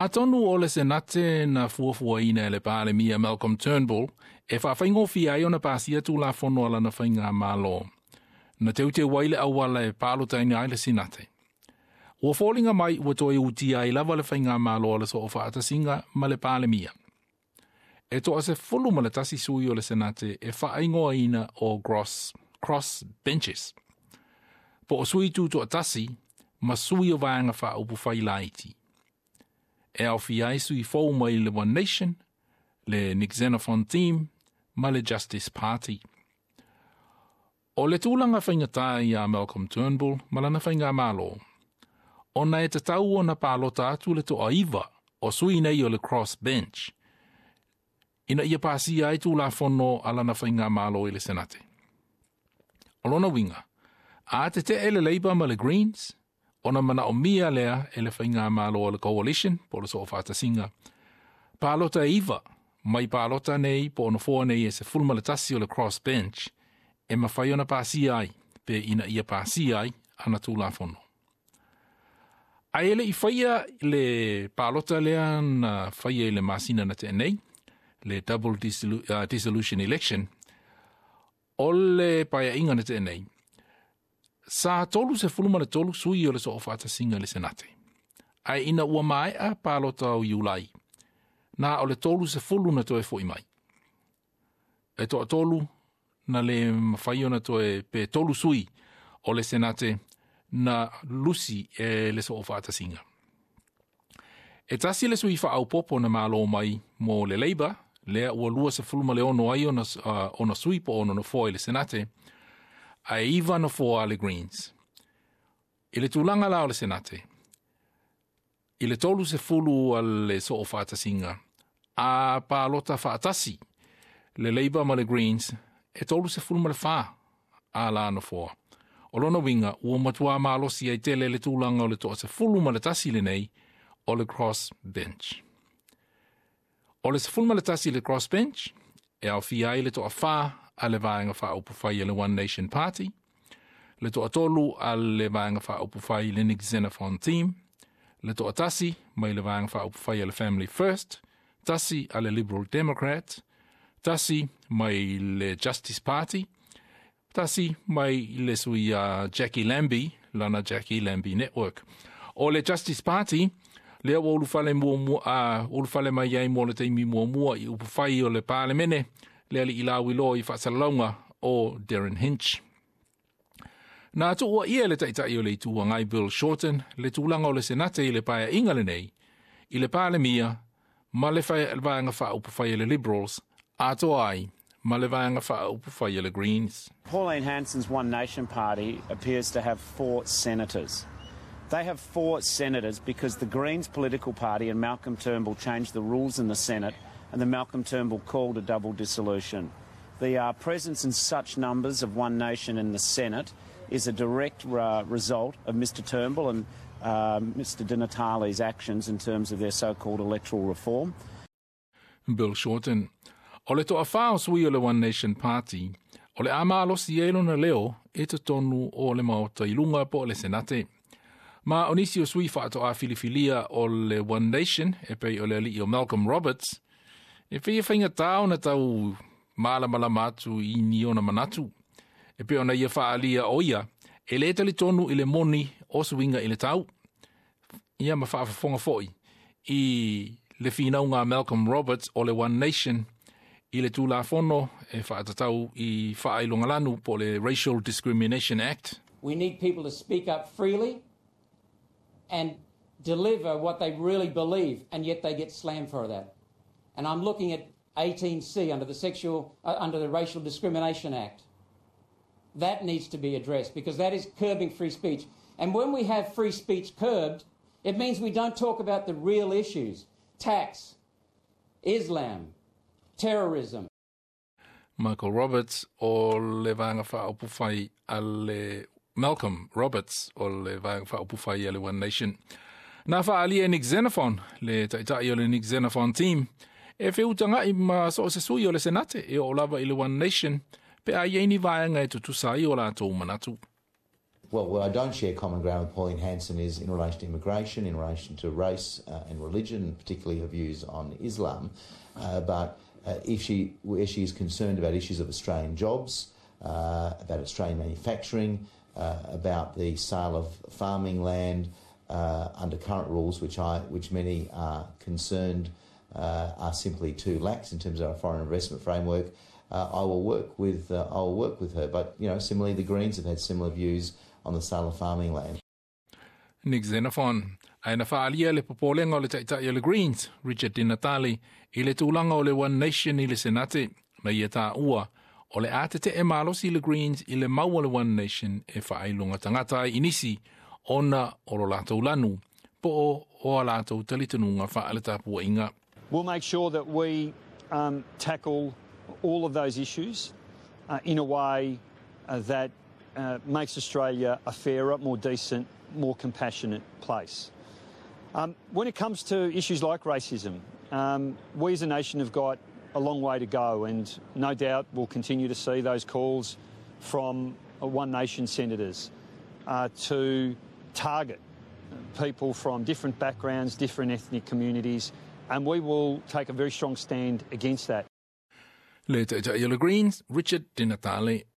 Atonu o le Senate na fuafuaina e le Palemia Malcolm Turnbull e faafaigofie ai ona pasia Tulafono a lana faigamalo. Na teuteu ai le auala e palotaina ai le Senate. Ua foliga mai ua toe utia ai lava le faigamalo a le Soofaatasiga ma le Palemia. E 11 sui o le Senate e faaigoaina o cross benches. Po o sui tutoatasi ma sui o vaega faaupufai laiti. E aofia ai sui fou mai le One Nation, le Nick Xenophon Team ma le Justice Party. O le tulaga faigata ia Malcolm Turnbull ma lana faigamalo, ona e tatau ona palota atu le 9 o sui nei o le cross bench, ina ia pasia ai Tulafono a lana faigamalo i le Senate. O lona uiga, a tetee le Labour ma le Greens, ona manaomia lea e le faigamalo o le Coalition, po o le Soofaatasiga, palota e 9, mai palota nei po o nofoa nei e 11 o le cross bench, e mafai ona pasia ai, pe ina ia pasia ai ana Tulafono. Ae le i faia le palota lea na faia i le masina na tea nei, le double dissolution election, o le paeaiga na tea nei, sa 33 sui o le Soofaatasiga i le Senate. Ae ina ua maea palota o Iulai, na o le 30 na toe foi mai. E 3 na le mafai ona toe pe 3 sui o le Senate na lusi e le Soofaatasiga. E tasi le sui faaopoopo na malo mai mo le Labour, lea ua 26 ai ona sui po o ona nofoa i le Senate, ae 9 nofoa a le Greens. I le tulaga la o le Senate, i le 30 a le Soofaatasiga, a palota faatasi le Labour ma le Greens, e 34 a la nofoa. O lona uiga, ua matua malosi ai tele le tulaga o le 11 lenei o le cross bench. O le 11 le cross bench, e aofia ai le 4 a le vaega faaupufai a le One Nation Party, le 3 a le vaega faaupufai le Nick Xenophon Team, le 1 mai le vaega faaupufai a le Family First, 1 a le Liberal Democrat, 1 mai le Justice Party, 1 mai le sui Jackie Lambie, lana Jackie Lambie Network. O le Justice Party, lea ua ulufale mai ai mo le taimi muamua i upufai o le Palemene, le alii lauiloa i faasalalauga o Derryn Hinch. Na tuuaia le taitai o le Itu Agai Bill Shorten le tulaga o le Senate i le paeaiga lenei, i le Palemia ma le vaega faaupufai a le Liberals, atoa ai ma le vaega faaupufai a le Greens. Pauline Hanson's One Nation Party appears to have 4 senators. They have 4 senators because the Greens political party and Malcolm Turnbull changed the rules in the Senate, and then Malcolm Turnbull called a double dissolution. The presence in such numbers of One Nation in the Senate is a direct result of Mr Turnbull and Mr Di Natale's actions in terms of their so-called electoral reform. Bill Shorten. O le 4 o sui o le One Nation Party, o le a malosi ai lona leo e totonu o le Maota i luga po o le Senate. Ma o nisi o sui faatoa filifilia o le One Nation, e pei o le alii o Malcolm Roberts, e pei e faigata ona tau malamalama atu i ni ona manatu. E pei ona ia faaalia o ia, e le talitonu i le moni o suiga i le tau. Ia ma faafofoga foi i le finauga a Malcolm Roberts o le One Nation i le Tulafono e faatatau i faailogalanu po le Racial Discrimination Act. We need people to speak up freely and deliver what they really believe, and yet they get slammed for that. And I'm looking at 18C under the Racial Discrimination Act. That needs to be addressed because that is curbing free speech. And when we have free speech curbed, it means we don't talk about the real issues: tax, Islam, terrorism. Michael Roberts o le vaega faaupufai a le Malcolm Roberts o le vaega faaupufai a le One Nation. Na faaalia e Nick Xenophon, le taitai o le Nick Xenophon Team, e feutagai ma so o se sui o le Senate e oo lava i le One Nation, pe a iai ni vaega e tutusa ai o latou manatu. Well, where I don't share common ground with Pauline Hanson is in relation to immigration, in relation to race and religion, particularly her views on Islam. But if she, where she is concerned about issues of Australian jobs, about Australian manufacturing, about the sale of farming land under current rules, which many are concerned are simply too lax in terms of our foreign investment framework, I will work with her. But similarly, the Greens have had similar views on the sale of farming land. Nick Xenophon. Ae na faaalia le popolega o le Taitai o le Greens, Richard Di Natale, i le tulaga o le One Nation i le Senate, na ia taua, o le a tete'e malosi le Greens i le mau o le One Nation e faailoga tagata ai i nisi, ona o lo latou lanu, po o a latou talitonuga faaletapuaiga. We'll make sure that we tackle all of those issues in a way that makes Australia a fairer, more decent, more compassionate place. When it comes to issues like racism, we as a nation have got a long way to go, and no doubt we'll continue to see those calls from One Nation senators to target people from different backgrounds, different ethnic communities, and we will take a very strong stand against that. Le Taitai o le Greens, Richard Di Natale.